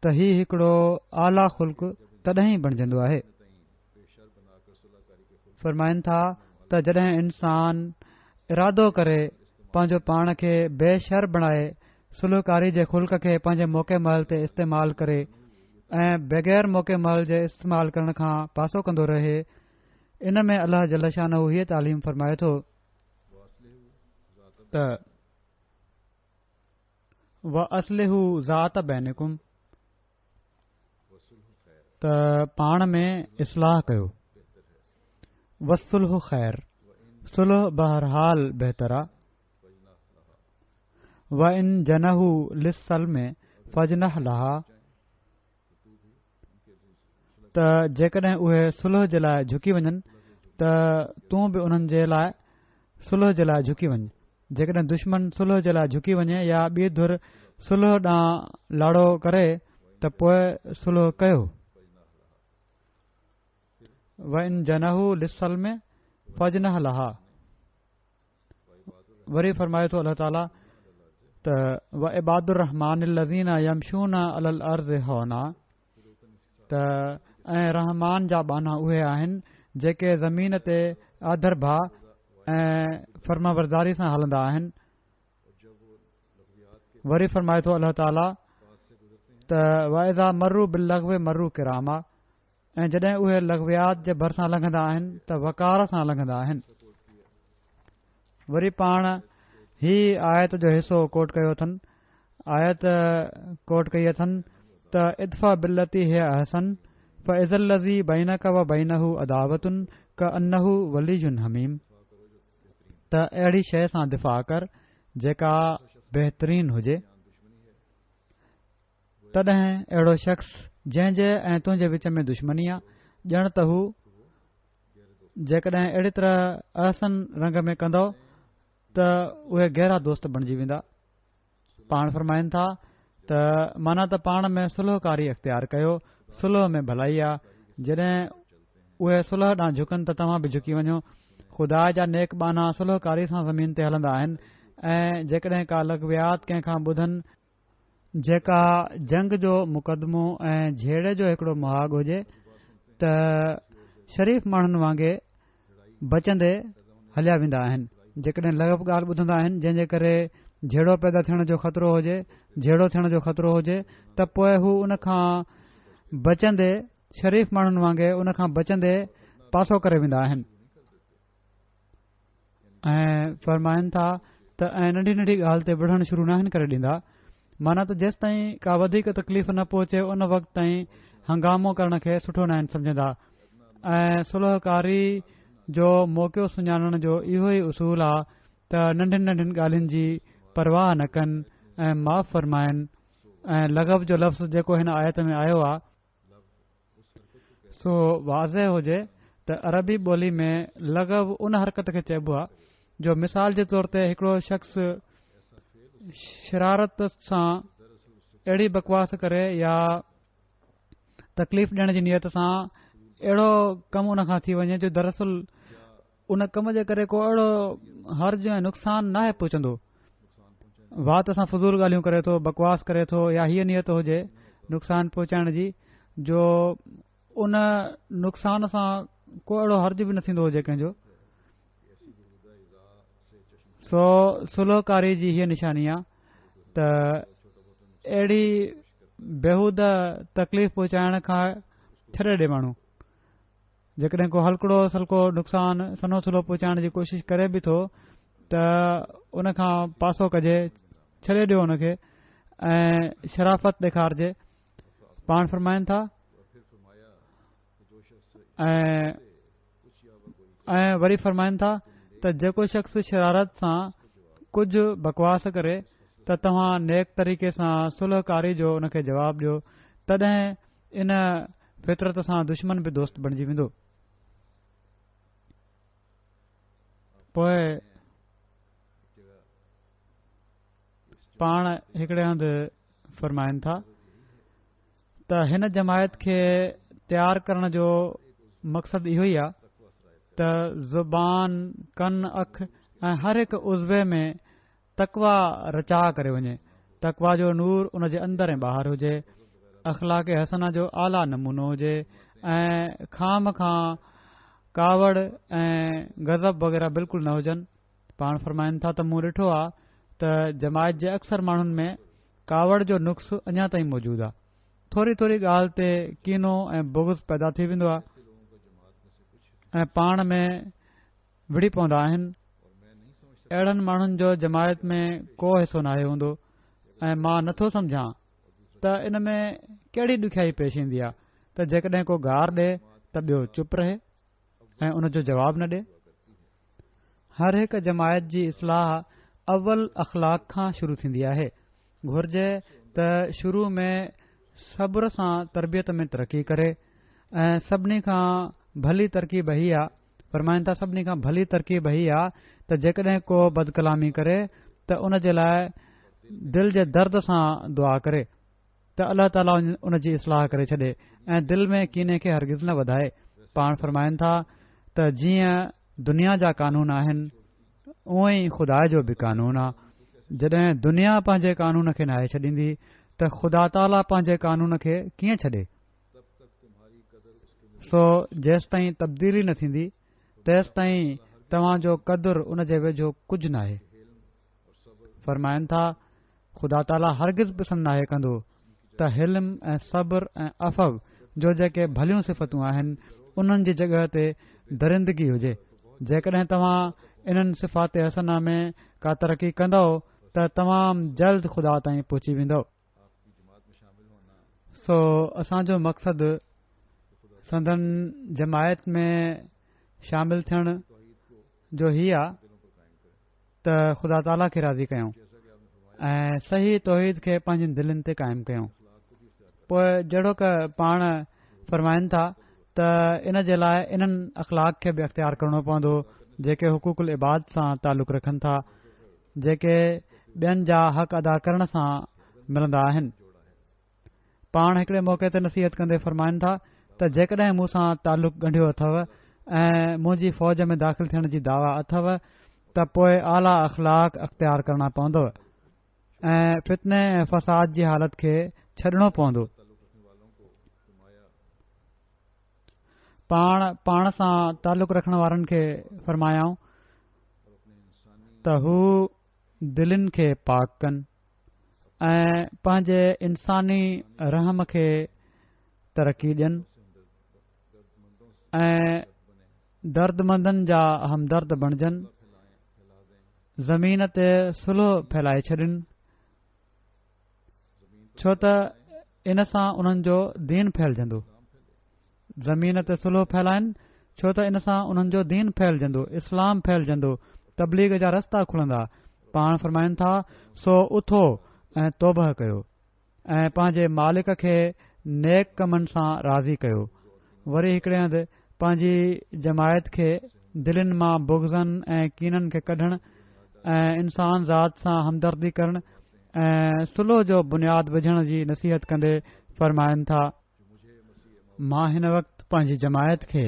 [SPEAKER 2] ته هي هڪڙو اعليٰ خلق تڏهن ئي بڻجندو آهي. فرمائن ٿا ته جڏهن انسان ارادو ڪري پنهنجو پاڻ کي بي شر بڻائي صلح ڪاري جي خلق کي پنهنجي موقعي مهل تي استعمال ڪري ۽ بغير موقعي مهل جي استعمال ڪرڻ کان پاسو ڪندو رهي ان ۾ الله جل شانه هيء تعليم فرمائي ٿو ته واصلحوا ذات بينڪم ته پاڻ ۾ اصلاح ڪيو والصلح خير صلح بهرحال بهتر آ وان جنحوا للسلم فاجنح لها ته جيڪڏهن اهي صلح جي لاء جهڪي وڃن ته تون به انهن جي لاء صلح جي لاء جهڪي وڃ جيڪڏهن دشمن صلح جي لاء جهڪي وڃي يا ٻي ڌر صلح ڏانهن لاڙو ڪري ته پوء صلح ڪيو. وان جنحوا للسلم فاجنح لها وري فرمائي ٿو الله تعالي ته وعباد الرحمان الذين يمشون علي الارض هونا ته ۽ رحمان جا ٻانها اهي آهن جيڪي زمين تي آڌر ڀاء ۽ فرمانبرداري سان هلندا آهن. وري فرمائي ٿو الله تعالي ته واذا مروا باللغو مروا ڪراما ۽ جڏهن اهي لغويات جي ڀرسان لنگهندا آهن ته وقار سان لنگهندا آهن. وري پاڻ هي آيت جو حصو ڪوٽ ڪيو اٿن، آيت ڪوٽ ڪئي اٿن ته ادفع بالتي هي احسن فاذا الذي بينڪ و بينه عداوة ڪانه ولي حميم ته اهڙي شيء سان دفاع ڪر جيڪا بهترين هجي. تڏهن اهڙو شخص جنهن جي ۽ تنهنجي وچ ۾ دشمني آ، ڄڻ ته هو جيڪڏهن اهڙي طرح احسن رنگ ۾ ڪندؤ ته اهي گهرا دوست بڻجي ويندا. پاڻ فرمائن ٿا ته معنيٰ ته پاڻ ۾ صلح ڪاري اختيار ڪيو، صلح ۾ ڀلائي آ، جڏهن اهي صلح ڏانهن جهڪن ته توهان به جهڪي وڃو. خدا جا نيڪ ٻانها صلح ڪاري سان زمين تي هلندا آهن ۽ جيڪڏهن ڪا لغويات ڪنهن کان ٻڌن جيڪا جنگ جو مقدمو ۽ جهيڙي جو هڪڙو مهاڳ هجي ته شريف ماڻهن وانگي بچندي هليا ويندا آهن. جيڪڏهن لغو ڳالهه ٻڌندا آهن جنهن جي ڪري جهيڙو پيدا ٿيڻ جو خطرو هجي جهيڙو ٿيڻ جو خطرو هجي ته پوء هو ان کان بچندي شريف ماڻهن وانگي ان کان بچندي پاسو ڪري ويندا آهن. ۽ فرمائن ٿا ته ۽ ننڍي ننڍي ڳالهه تي وڙهڻ شروع ناهن ڪري ڏيندا معنيٰ ته جيستائين ڪا وڌيڪ تڪليف نه پهچي ان وقت تائين هنگامو ڪرڻ کي سٺو ناهن سمجهندا ۽ صلح ڪاري جو موقعو سڃاڻڻ جو اهو ئي اصول آ ته ننڍين ننڍين ڳالهين جي پرواهه نه ڪن ۽ معاف فرمائن ۽ لغو جو لفظ جيڪو هن آيت ۾ آيو آ سو واضح هجي ته عربي ٻولي ۾ لغو ان حرڪت کي چئبو آهي جو مثال جي طور تي هڪڙو شخص شرارت سان اهڙي بڪواس ڪري يا تڪليف ڏيڻ جي نيت سان اهڙو ڪم ان کان ٿي وڃي جو دراصل ان ڪم جي ڪري ڪو اهڙو حرج ۽ نقصان ناهي پهچندو. وات سان فضول ڳالهيون ڪري ٿو، بڪواس ڪري ٿو يا هيء نيت هجي نقصان پهچائڻ جي جو ان نقصان سان ڪو اهڙو حرج به نه ٿيندو هجي ڪنهن جو. سو صلح ڪاري جي هيء نشاني آ ته اهڙي بيهوده تڪليف پهچائڻ کان ڇڏي ڏي ماڻهو. جيڪڏهن ڪو هلڪڙو سلڪو نقصان سنهو ٿلهو پهچائڻ جي ڪوشش ڪري به ٿو ته ان کان پاسو ڪجي ڇڏي ڏيو ان کي ۽ شرافت ڏيکارجي پاڻ فرمائن ٿا ۽ ۽ وري فرمائن ٿا ته جيڪو شخص شرارت سان ڪجهه بڪواس ڪري ته توهان نيڪ طريقي سان صلح ڪاري جو ان کي جواب ڏيو تڏهن ان فطرت سان دشمن به دوست بڻجي ويندو. پوء پاڻ هڪڙي هنڌ فرمائن ٿا ته هن جماعت کي تيار ڪرڻ جو مقصد اهو ئي آهي ته زبان، ڪن، اک ۽ هر هڪ عضوي ۾ تقويٰ رچاء ڪري وڃي، تقويٰ جو نور ان جي اندر ۽ ٻاهر هجي، اخلاق حسنه جو اعليٰ نمونو هجي ۽ خوامخواه ڪاوڙ ۽ غضب وغيره بلڪل نه هجن. پاڻ فرمائن ٿا ته مون ڏٺو آ ته جماعت جي اڪثر ماڻهن ۾ ڪاوڙ جو نقص اڃا تائين موجود آ. ٿوري ٿوري ڳالهه تي ڪينو ۽ بغض پيدا ٿي ويندو آ ۽ پاڻ ۾ وڙهي پوندا آهن. اهڙن ماڻهن جو جماعت ۾ ڪو حصو ناهي هوندو ۽ مان نٿو سمجهان ته ان ۾ ڪهڙي ڏکيائي پيش ايندي آهي ته جيڪڏهن ڪو گار ڏي ته ٻيو چپ رهي ۽ ان جو جواب نه ڏي. هر هڪ جماعت جي اصلاح اول اخلاق کان شروع ٿيندي آهي. گهرجي ته شروع ۾ صبر سان تربيت ۾ ترقي ڪري ۽ سڀني کان ڀلي ترڪيب هي آ فرمائن ٿا سڀني کان ڀلي ترڪيب هي آ ته جيڪڏهن ڪو بدڪلامي ڪري ته ان جي لاء دل جي درد سان دعا ڪري ته الله تعاليٰ ان جي اصلاح ڪري ڇڏي ۽ دل ۾ ڪيني کي هرگز نه وڌائي پاڻ فرمائن ٿا ته جيئن دنيا جا قانون آهن اونئن ئي خدا جو به قانون آ جڏهن دنيا پنهنجي قانون کي ناهي ڇڏيندي ته خدا تعاليٰ پنهنجي قانون کي ڪيئن ڇڏي سو جيستائين تبديلي نه ٿيندي تيستائين توهان جو قدر ان جي ويجهو ڪجهه ناهي. فرمائن ٿا، خدا تعاليٰ هرگز پسند ناهي ڪندو ته حلم ۽ صبر ۽ عفو جو جيڪي ڀليون صفتون آهن انهن جي جڳهه تي درندگي هجي. جيڪڏهن توهان انهن صفات حسنه ۾ ڪا ترقي ڪندؤ ته تمام جلد خدا تائين پهچي ويندؤ. سو اسان جو مقصد سندن جماعت ۾ شامل ٿيڻ جو هي آ ته خدا تعاليٰ کي راضي ڪيون ۽ صحيح توحيد کي پنهنجين دلين تي قائم ڪيون. پوء جهڙوڪ پاڻ فرمائن ٿا ته ان جي لاء انهن اخلاق کي به اختيار ڪرڻو پوندو جيڪي حقوق العباد سان تعلق رکن ٿا، جيڪي ٻين جا حق ادا ڪرڻ سان ملندا آهن. پاڻ هڪڙي موقعي تي نصيحت ڪندي فرمائن ٿا ته جيڪڏهن مون سان تعلق ڳنڍيو اٿو ۽ منهنجي فوج ۾ داخل ٿيڻ جي دعويٰ اٿو ته پوء اعليٰ اخلاق اختيار ڪرڻا پوندو ۽ فتني ۽ فساد جي حالت کي ڇڏڻو پوندو. پاڻ پاڻ سان تعلق رکڻ وارن کي فرمايائون ته هو دلين کي پاڪ ڪن ۽ پنهنجي انساني رحم کي ترقي ڏين ۽ دردمندن جا همدرد بڻجن، زمين تي صلح ڦهلائي ڇڏين، ڇو ته ان سان انهن جو دين ڦهلجندو. زمين تي صلح ڦهلائن ڇو ته ان سان انهن جو دين ڦهلجندو، اسلام ڦهلجندو، تبليغ جا رستا کلندا. پاڻ فرمائن ٿا، سو اٿو ۽ توبهه ڪيو ۽ پنهنجي مالڪ کي نيڪ ڪمن سان راضي ڪيو. وري هڪڙي هنڌ پنهنجي جماعت کي دلين مان بغضن ۽ ڪينن کي ڪڍڻ ۽ انسان ذات سان همدردي ڪرڻ ۽ صلح جو بنياد وجهڻ جي نصيحت ڪندي فرمائن ٿا، مان هن وقت پنهنجي جماعت کي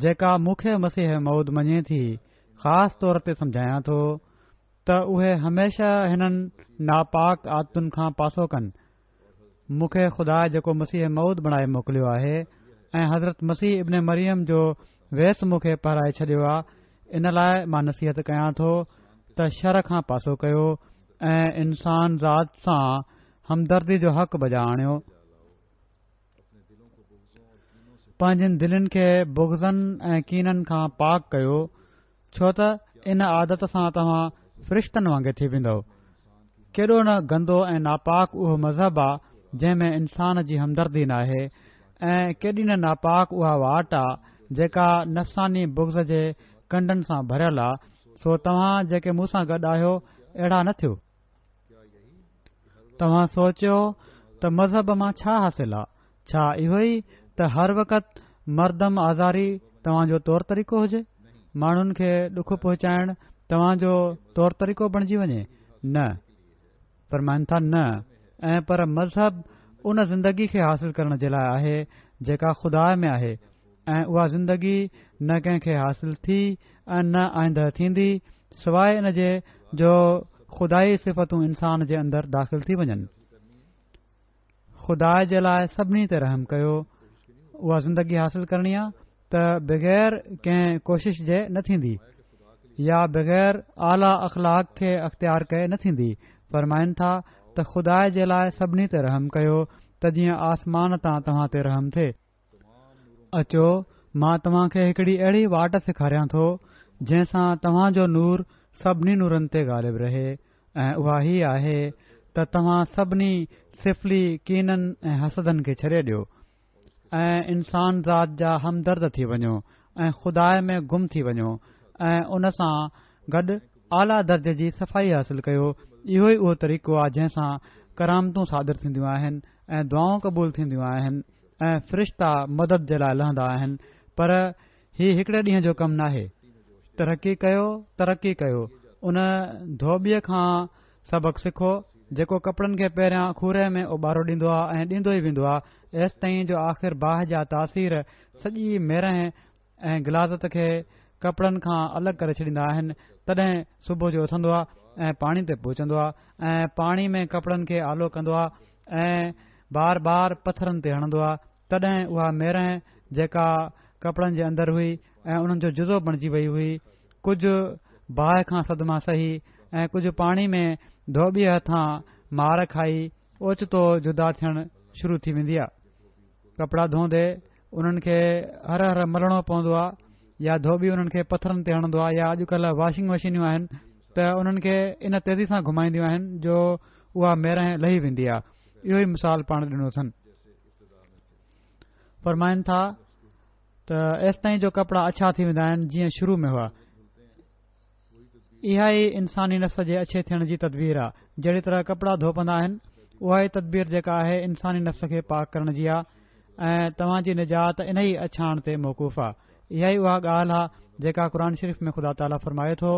[SPEAKER 2] جيڪا مون کي مسيح موعود مڃي ٿي خاص طور تي سمجهايان ٿو ته اهي هميشه هنن ناپاڪ عادتن کان پاسو ڪن. مون کي خدا جيڪو مسيح موعود بڻائي موڪليو آهي ۽ حضرت مسيح ابن مريم جو ويس مون کي پهرائي ڇڏيو آ ان لاء مان نصيحت ڪيان ٿو ته شر کان پاسو ڪيو ۽ انسان ذات سان همدردي جو حق بجا آڻيو. پنهنجين دلين کي بغضن ۽ ڪينن کان پاڪ ڪيو، ڇو ته ان عادت سان توهان فرشتن وانگي ٿي ويندؤ. ڪيڏو نه گندو ۽ ناپاڪ اهو مذهب آ، جنهن ۾ انسان جي همدردي ناهي ۽ ڪيڏي نه ناپاڪ اها واٽ آ، جيڪا نفساني بغض جي ڪنڊن سان ڀريل آ، سو توهان جيڪي مون سان گڏ آهيو، اهڙا نه ٿيو. توهان سوچيو ته مذهب مان ڇا حاصل آ؟ ڇا اهو ئي ته هر وقت مردم آزاري توهان جو طور طريقو هجي؟ ماڻهن کي ڏک پهچائڻ توهان جو طور طريقو بڻجي وڃي؟ نه. فرمائن ٿا نه ۽ پر مذهب ان زندگي کي حاصل ڪرڻ جي لاء آهي جيڪا خدا ۾ آهي ۽ اها زندگي نه ڪنهن کي حاصل ٿي ۽ نه آئنده ٿيندي سواء ان جي جو خدائي صفتون انسان جي اندر داخل ٿي وڃن. خدا جي لاء سڀني تي رحم ڪيو اها زندگي حاصل ڪرڻي آ ته بغير ڪنهن ڪوشش جي نه ٿيندي يا بغير اعليٰ اخلاق کي اختيار ڪئي نه ٿيندي. فرمائن ٿا ته خدا جي لاء سڀني تي رحم ڪيو ته جيئن آسمان تان توهان تي رحم ٿئي. اچو مان توهان کي هڪڙي اهڙي واٽ سيکاريان ٿو جنهن سان توهان جو نور سڀني نورن تي غالب رهي ۽ اها هي آهي ته توهان سڀني سفلي ڪينن ۽ حسدن کي ڇڏي ڏيو ۽ انسان ذات جا همدرد ٿي وڃو ۽ خدا ۾ گم ٿي وڃو ۽ ان سان گڏ اعليٰ درجي جي صفائي حاصل ڪيو اهو ئي اهو طريقو آهي جنهن سان ڪرامتون صادر ٿينديون آهن ۽ دعائون قبول ٿينديون آهن ۽ فرشتا مدد جي لاء لهندا آهن پر هي هڪڙي ڏينهن جو ڪم ناهي. ترقي ڪيو ترقي ڪيو ان ڌوٻيء کان سبق سکو جيڪو ڪپڙن کي پهريان کوري ۾ اوٻارو ڏيندو آهي ۽ ڏيندو ئي ويندو آهي ايستائين جو آخر باهه جا تاثير سڄي ميرهن ۽ غلاظت کي ڪپڙن کان الڳ ڪري ڇڏيندا آهن تڏهن صبح جو اٿندو آهي ۽ پاڻي تي پهچندو آهي ۽ پاڻي ۾ ڪپڙن کي آلو ڪندو آهي ۽ بار بار پٿرن تي هڻندو آهي تڏهن اها ميرهن جيڪا ڪپڙن جي اندر هئي ۽ انهن جو جزو بڻجي وئي هئي ڪجهه باهه کان صدما سهي ۽ ڪجهه پاڻي ۾ ڌوٻيء هٿان مار کائي اوچتو جدا ٿيڻ شروع ٿي ويندي آهي. ڪپڙا ڌوئندي انهن کي هر هر ملڻو پوندو آهي يا ڌوٻي انهن کي پٿرن تي هڻندو آهي يا اڄڪلهه واشنگ مشينيون آهن ته انهن کي ان تيزي سان گهمائينديون آهن جو اها ميرانهن لهي ويندي آهي. اهو ئي مثال پاڻ ڏنو اٿن. فرمائن ٿا ته ايستائين جو ڪپڙا اڇا ٿي ويندا آهن جيئن شروع ۾ هئا. اها ئي انساني نفس جي اڇي ٿيڻ جي تدبير آ. جهڙي طرح ڪپڙا ڌوپندا آهن، اها ئي تدبير جيڪا آهي انساني نفس کي پاڪ ڪرڻ جي آ ۽ توهان جي نجات انهي اڇاڻ تي موقوف آ. اها ئي اها ڳالهه آ جيڪا قرآن شريف ۾ خدا تعاليٰ فرمائي ٿو،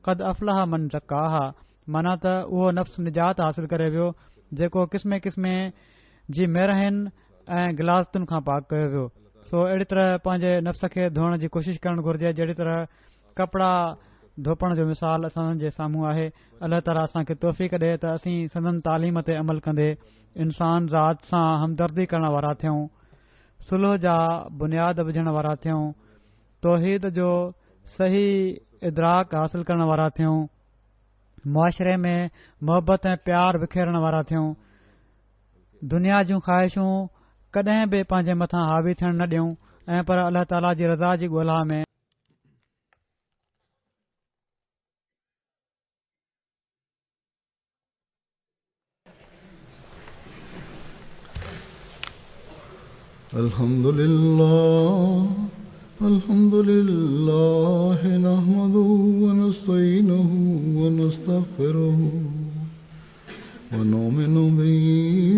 [SPEAKER 2] قد افلح من زڪاها معنيٰ ته اهو نفس نجات حاصل ڪري ويو جيڪو قسمين قسمين جي ميرهين ۽ غلاظتن کان پاڪ ڪيو ويو. سو اهڙي طرح پنهنجي نفس کي ڌوئڻ جي ڪوشش ڪرڻ گهرجي جهڙي طرح ڪپڙا ڌوپڻ جو مثال اسان جي سامهون آهي. الله تعاليٰ اسان کي توفيق ڏي ته اسين سندن تعليم تي عمل ڪندي انسان ذات سان همدردي ڪرڻ وارا ٿيون، صلح جا بنياد وجهڻ وارا ٿيون، توحيد جو صحيح ادراڪ حاصل ڪرڻ وارا ٿيون، معاشري ۾ محبت ۽ پيار وکيرڻ وارا ٿيون، دنيا جون خواهشون ڪڏهن به پنهنجي مٿان حاوي ٿيڻ نه ڏيون ۽ پر الله تعاليٰ جي رضا جي ڳولها ۾.
[SPEAKER 1] الحمد لله الحمد لله نحمده ونستعينه ونستغفره ونؤمن به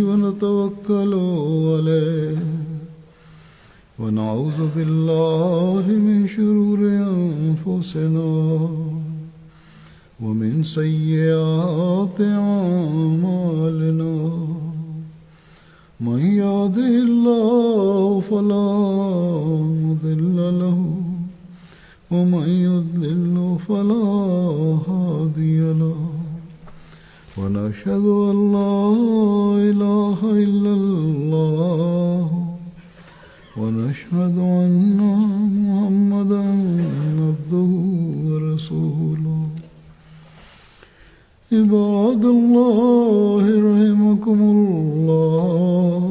[SPEAKER 1] ونتوكل عليه ونعوذ بالله من شرور أنفسنا ومن سيئات أعمالنا من يهده الله فلا مضل له ومن يضلل فلا هادي له ونشهد أن لا إله إلا الله ونشهد أن محمدا عبده ورسوله عباد الله رحمكم الله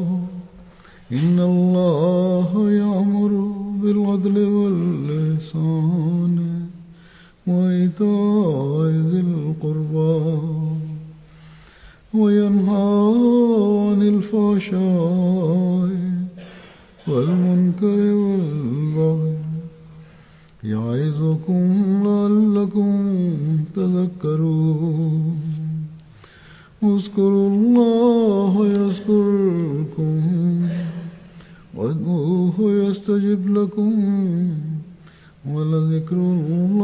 [SPEAKER 1] إن الله يأمر بالعدل والإحسان وإيتاء ذي القربى وينهى عن الفحشاء والمنكر والبغي يعظكم لعلكم تذكرون اذكروا الله يذكركم وادعوه يستجب لكم ولذكر الله